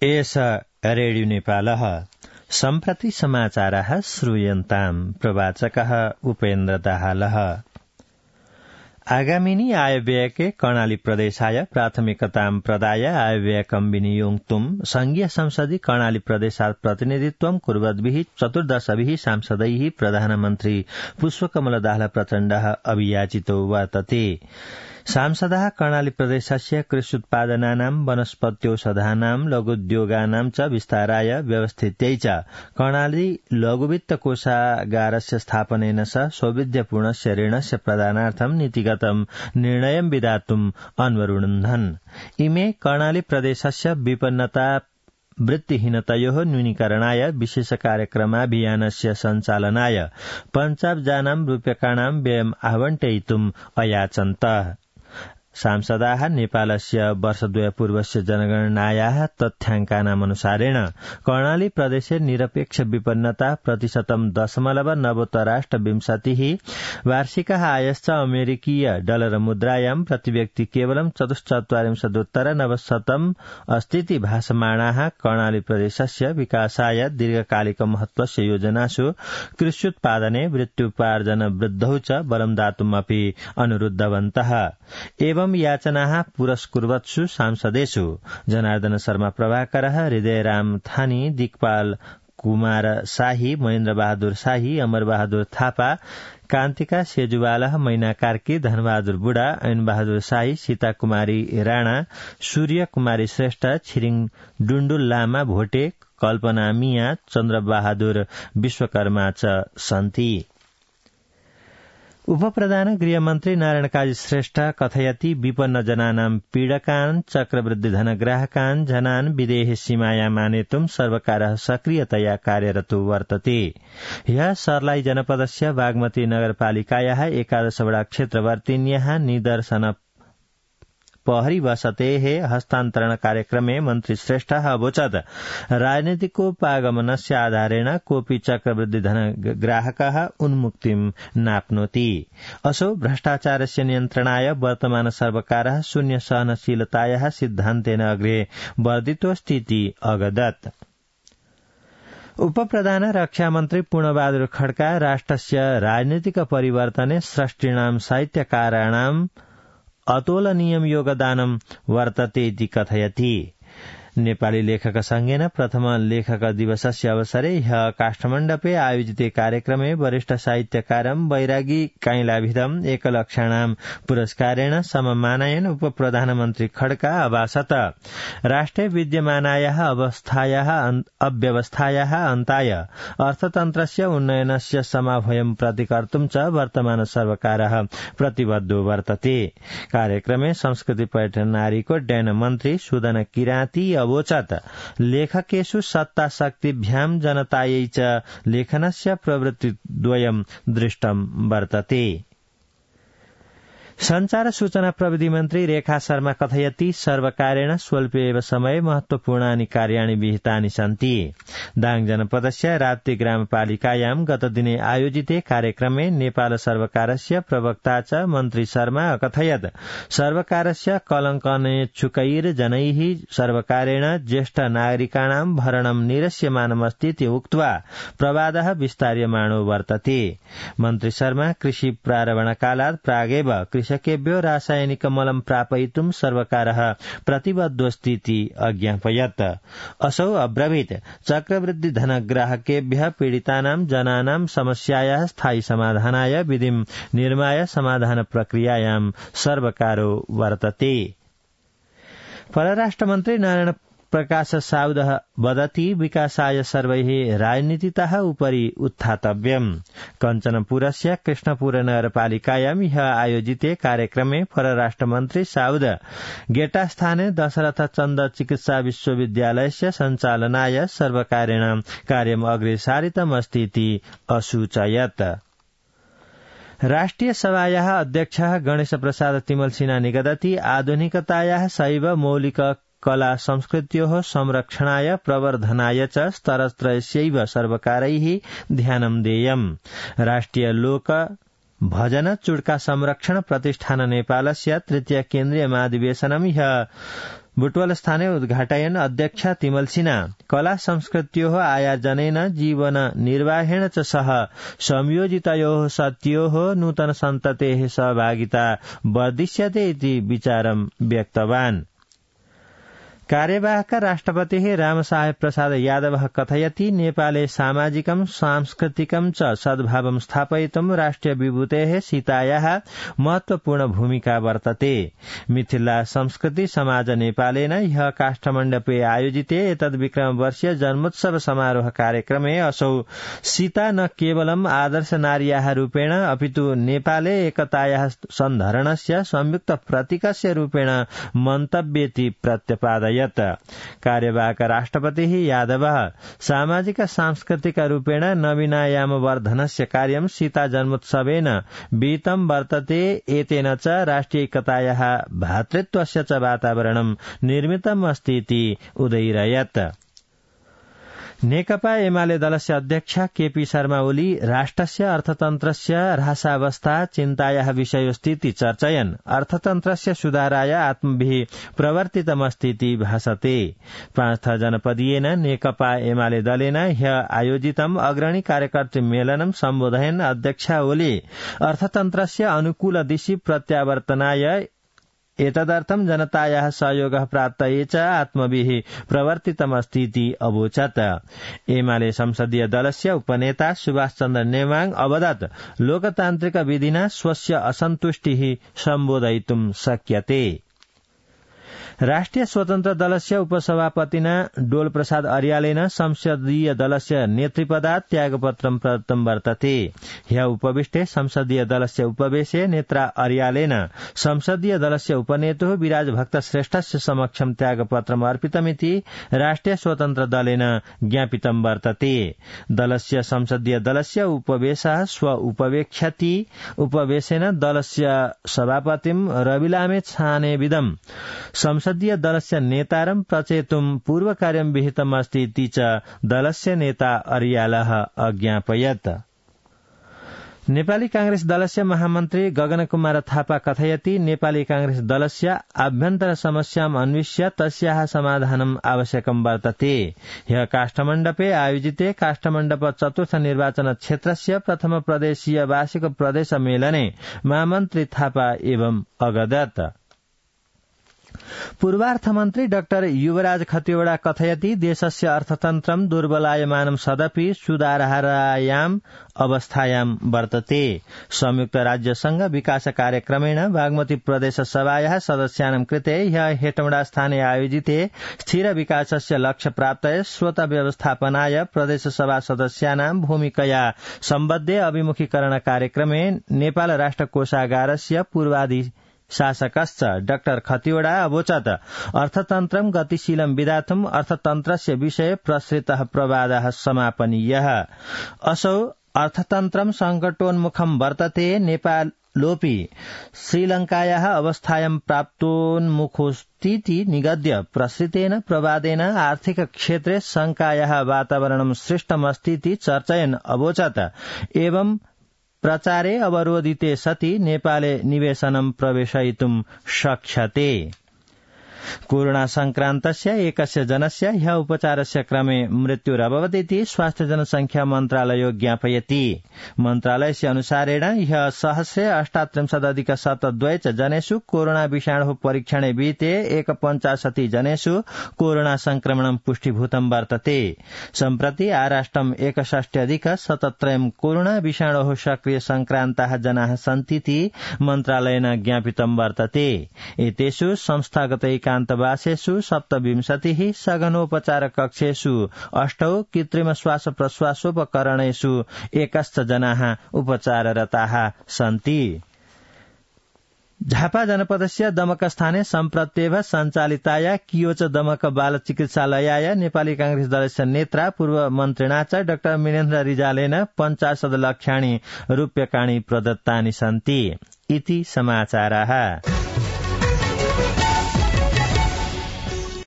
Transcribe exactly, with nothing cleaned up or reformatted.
एष रेडियो नेपालः सम्प्रति समाचारः श्रूयन्ताम् प्रवाचकः उपेन्द्र दाहालः। आगामिनी आयव्ययके कर्णाली प्रदेशाय प्राथमिकतां प्रदाय आयव्ययकं विनियोक्तुं संघीय संसदि कर्णाली प्रदेशात् प्रतिनिधित्वं कुर्वद्भिः चतुर्दशभिः सांसदैः प्रधानमन्त्री पुष्पकमल दाहाल प्रचण्डः अभियाचितो वर्तते। सांसदः कर्णाली प्रदेशस्य कृष्युत्पादनानां वनस्पत्यौषधानां लघुद्योगानां च विस्ताराय व्यवस्थित्यै च कर्णाली लघुवित्त कोषागारस्य स्थापनेन स सौविध्यपूर्णस्य ऋणस्य प्रदानार्थं नीतिगतं निर्णयं विधातुम् अन्वरुणन्धन्। इमे कर्णाली प्रदेशस्य विपन्नता वृत्तिहीनतयोः न्यूनीकरणाय विशेष कार्यक्रमाभियानस्य सञ्चालनाय पञ्चाशज्जानां रूप्यकाणां व्ययम् आवण्टयितुम् अयाचन्त। सांसदाः नेपालस्य वर्षद्वयपूर्वस्य जनगणनायाः तथ्याङ्कानामनुसारेण कर्णाली प्रदेशे निरपेक्ष विपन्नता प्रतिशतं दशमलव नवोत्तराष्टविंशतिः वार्षिकः आयश्च अमेरिकीय डलर मुद्रायां प्रतिव्यक्ति केवलं चतुश्चत्वारिंशदुत्तर नवशतम् अस्तीति भासमाणाः कर्णाली प्रदेशस्य विकासाय दीर्घकालिक महत्वस्य योजनासु कृष्युत्पादने वृत्त्युपार्जन वृद्धौ च बलं दातुमपि अनुरुद्धवन्तः। एवं याचनाः पुरस्कुर्वत्सु सांसदेषु जनार्दन शर्मा प्रभाकरः, हृदयराम थानी, दिक्पाल कुमार शाही, महेन्द्र बहादुर शाही, अमर बहादुर थापा, कान्तिका सेजुवालह, मैना कार्की, धनबहादुर बुढा, ऐन बहादुर शाही, सीता कुमारी राणा, सूर्य कुमारी श्रेष्ठ, छिरिङ डुण्डुल लामा भोटे, कल्पना मिया, चन्द्र बहादुर विश्वकर्मा च सन्ति। उपप्रधान गृहमन्त्री नारायण काजी श्रेष्ठ कथयति विपन्न जनानां पीडकान् चक्रवृद्धि धनग्राहकान् जनान् विदेह सीमायाम् आनेतुं सर्वकारः सक्रियतया कार्यरतो वर्तते। ह्यः सर्लाई जनपदस्य बागमती नगरपालिकायाः एकादशवटा क्षेत्रवर्तिन्याः निदर्शन पहरी वसतेः हस्तान्तरण कार्यक्रमे मन्त्री श्रेष्ठः अवोचत् राजनीतिकोपागमनस्य आधारेण कोऽपि चक्रवृद्धि धनग्राहकः उन्मुक्तिं नाप्नोति। असौ भ्रष्टाचारस्य नियन्त्रणाय वर्तमान सर्वकारः शून्य सहनशीलतायाः सिद्धान्तेन अग्रे वर्धितोऽस्तीति अगदत्। उपप्रधान रक्षामन्त्री पूर्णबहादुर खड्का राष्ट्रस्य राजनीतिक परिवर्तने सृष्टिणां साहित्यकाराणां अतोलनीयं योगदानं वर्तते इति कथयति। नेपाली लेखक संघेन प्रथम लेखक दिवसस्य अवसरे ह्यः काष्ठमण्डपे आयोजिते कार्यक्रमे वरिष्ठ साहित्यकारं वैरागी काइलाभिधम् एकलक्षाणां पुरस्कारेण सममानयन् उपप्रधानमन्त्री खड्का अभाषत। राष्ट्रे विद्यमानायाः अवस्थायाः अव्यवस्थायाः अन्ताय अर्थतन्त्रस्य उन्नयनस्य समाभयं प्रतिकर्तुं च वर्तमान सर्वकारः प्रतिबद्धो वर्तते। कार्यक्रमे संस्कृति पर्यटन नारीकोड्डयन मन्त्री सुदन किराती अवोचत् लेखकेषु सत्ता शक्तिभ्यां जनतायै च लेखनस्य प्रवृत्तिद्वयं दृष्टं वर्तते। संचार सूचना प्रविधि मन्त्री रेखा शर्मा कथयति सर्वकारेण स्वल्पे एव समये महत्वपूर्णानि कार्याणि विहितानि सन्ति। दाङ जनपदस्य राप्ती ग्रामपालिकायां गतदिने आयोजिते कार्यक्रमे नेपाल सर्वकारस्य प्रवक्ता च मन्त्री शर्मा अकथयत् सर्वकारस्य कलङ्कनेच्छुकैर्जनैः सर्वकारेण ज्येष्ठ नागरिकाणां भरणं निरस्यमानमस्तीति उक्त्वा प्रवादः विस्तार्यमाणो वर्तते। मन्त्री शर्मा कृषि प्रारम्भकालात् प्रागेव कृषकेभ्यो रासायनिक मलं प्रापयितुं सर्वकारः प्रतिबद्धोऽस्तीति अज्ञापयत्। असौ अब्रवीत् चक्रवृद्धि धनग्राहकेभ्यः पीडितानां जनानां समस्यायाः स्थायी समाधानाय विधिं निर्माय समाधान प्रक्रियायां सर्वकारो वर्तते। परराष्ट्रमन्त्री नारायण प्रकाश साउदः वदति विकासाय सर्वैः राजनीतितः उपरि उत्थातव्यम्। कञ्चनपुरस्य कृष्णपुर नगरपालिकायां ह्यः आयोजिते कार्यक्रमे परराष्ट्रमन्त्री साउद गेटास्थाने दशरथ चन्द चिकित्सा विश्वविद्यालयस्य सञ्चालनाय सर्वकारेण कार्यम् अग्रे सारितमस्तीति असूचयत्। राष्ट्रिय सभायाः अध्यक्षः गणेश प्रसाद तिमल सिन्हा निगदति आधुनिकतायाः सैव मौलिक कला संस्कृत्योः संरक्षणाय प्रवर्धनाय च स्तरत्रयस्यैव सर्वकारैः ध्यानं देयम्। राष्ट्रिय लोक भजन चुड्का संरक्षण प्रतिष्ठान नेपालस्य तृतीय केन्द्रीय महाधिवेशनं ह्यः बुटवल स्थाने उद्घाटयन अध्यक्षा तिमल सिन्हा कला संस्कृत्योः आयोजनेन जीवन निर्वाहेण च सह संयोजितयोः सत्योः नूतन सन्ततेः सहभागिता वर्धिष्यते इति विचारं व्यक्तवान्। कार्यवाहक राष्ट्रपतिः रामसाहेब प्रसाद यादवः कथयति नेपाले सामाजिकं सांस्कृतिकं च सद्भावं स्थापयितुं राष्ट्रिय विभूतेः सीतायाः महत्वपूर्ण भूमिका वर्तते। मिथिला संस्कृति समाज नेपालेन ह्यः काष्ठमण्डपे आयोजिते एतद् विक्रम वर्षीय जन्मोत्सव समारोह कार्यक्रमे असौ सीता न केवलम् आदर्श नार्याः रूपेण अपितु नेपाले एकतायाः सन्धरणस्य संयुक्त प्रतीकस्य रूपेण मन्तव्येति प्रत्यपादयत्। कार्यवाहक राष्ट्रपतिः यादवः सामाजिक सांस्कृतिक रूपेण नवीनायाम वर्धनस्य कार्यं सीता जन्मोत्सवेन विहितं वर्तते। एतेन च राष्ट्रियैकतायाः भ्रातृत्वस्य च वातावरणं निर्मितम् अस्ति इति उदयिरयत्। नेकपा एमाले दलस्य अध्यक्ष केपी शर्मा ओली राष्ट्रस्य अर्थतन्त्रस्य ह्रासावस्था चिन्तायाः विषयोस्तीति चर्चयन् अर्थतन्त्रस्य सुधाराय आत्मभिः प्रवर्तितमस्तीति भासते। पाँच जनपदीयेन नेकपा एमाले दलेन ह्यः आयोजितम् अग्रणी कार्यकर्तृ मेलनं सम्बोधयन् अध्यक्ष ओली अर्थतन्त्रस्य अनुकूल दिशि प्रत्यावर्तनाय एतदर्थं जनतायाः सहयोगः प्राप्तये च आत्मभिः प्रवर्तितमस्तीति अवोचत्। एमाले संसदीय दलस्य उपनेता सुभाष चन्द्र नेवाङ अवदत् लोकतान्त्रिक विधिना स्वस्य असन्तुष्टिः सम्बोधयितुं शक्यते। राष्ट्रिय स्वतन्त्र दलस्य उपसभापतिना डोल प्रसाद अर्यालेन संसदीय दलस्य नेतृपदात् त्यागपत्रं प्रदत्तं वर्तते। ह्यः उपविष्टे संसदीय दलस्य उपवेशे नेत्रा अर्यालेन संसदीय दलस्य उपनेतुः विराज भक्त श्रेष्ठस्य समक्षं त्यागपत्रम् अर्पितमिति राष्ट्रिय स्वतन्त्र दलेन ज्ञापितं वर्तते। दलस्य संसदीय दलस्य उपवेशः स्व उपवेक्ष्यति। उपवेशेन दलस्य सभापतिं रविलामे छानेविदम् संसदीय दलस्य नेतारं प्रचेतुं पूर्वकार्यं विहितमस्ति इति च दलस्य नेता अर्यालः अज्ञापयत्। नेपाली कांग्रेस दलस्य महामन्त्री गगन कुमार थापा कथयति नेपाली कांग्रेस दलस्य आभ्यन्तर समस्याम् अन्विष्य तस्याः समाधानम् आवश्यकं वर्तते। ह्यः काष्ठमण्डपे आयोजिते काष्ठमण्डप चतुर्थ निर्वाचन क्षेत्रस्य प्रथम प्रदेशीय वार्षिक प्रदेश मेलने महामन्त्री थापा एवं अगदत्। पूर्वार्थमन्त्री डाक्टर युवराज खतिवड़ा कथयति देशस्य अर्थतन्त्रं दुर्बलायमानं सदपि सुधारायाम् अवस्थायां वर्तते। संयुक्त राज्य संघ विकास कार्यक्रमेण बागमती प्रदेश सभायाः सदस्यानां कृते ह्यः हेटौडा स्थाने आयोजिते स्थिर विकासस्य लक्ष्य प्राप्तये स्वत व्यवस्थापनाय प्रदेश सभा सदस्यानां भूमिकया सम्बद्धे अभिमुखीकरण कार्यक्रमे नेपाल राष्ट्र कोषागारस्य पूर्वाधि शासकश्च डाक्टर खतिवड़ा अवोचत् अर्थतन्त्रं गतिशीलं विधातुं अर्थतन्त्रस्य विषये प्रसृतः प्रवादः समापनीयः। असौ अर्थतन्त्रं संकटोन्मुखं वर्तते। नेपालोऽपि श्रीलंकायाः अवस्थायां प्राप्तोन्मुखोऽस्तीति निगद्य प्रसृतेन प्रवादेन आर्थिक क्षेत्रे शंकायाः वातावरणं सृष्टमस्तीति चर्चयन् अवोचत् एवं प्रचारे अवरोधिते सति नेपाले निवेशनं प्रवेशयितुं शक्ष्यते। कोरोना संक्रान्तस्य एकस्य जनस्य ह्यः उपचारस्य क्रमे मृत्युरभवत् इति स्वास्थ्य जनसंख्या मन्त्रालयो ज्ञापयति। मन्त्रालयस्य अनुसारेण ह्यः सहस्रे अष्टात्रिंशदधिक शतद्वय च जनेषु कोरोना विषाणुः परीक्षणे विहिते एकपञ्चाशति जनेषु कोरोना संक्रमणं पुष्टिभूतं वर्तते। सम्प्रति आराष्ट्रम् एकषष्ट्यधिक शतत्रयं कोरोना विषाणोः सक्रिय संक्रान्ताः जनाः सन्तीति मन्त्रालयेन ज्ञापितं वर्तते। एतेषु संस्थागत एकान्तवासेषु सप्तविंशतिः सघनोपचार कक्षेषु अष्टौ कृत्रिम श्वास प्रश्वासोपकरणेषु एकश्च जनाः उपचाररताः सन्ति। झापा जनपदस्य दमकस्थाने सम्प्रत्येव सञ्चालिताया कियोच दमक बाल चिकित्सालयाय नेपाली कांग्रेस दलस्य नेत्रा पूर्व मन्त्रिणा च डाक्टर मिनेन्द्र रिजालेन पञ्चाशत् लक्षाणि रूप्यकाणि प्रदत्तानि सन्ति इति समाचाराः।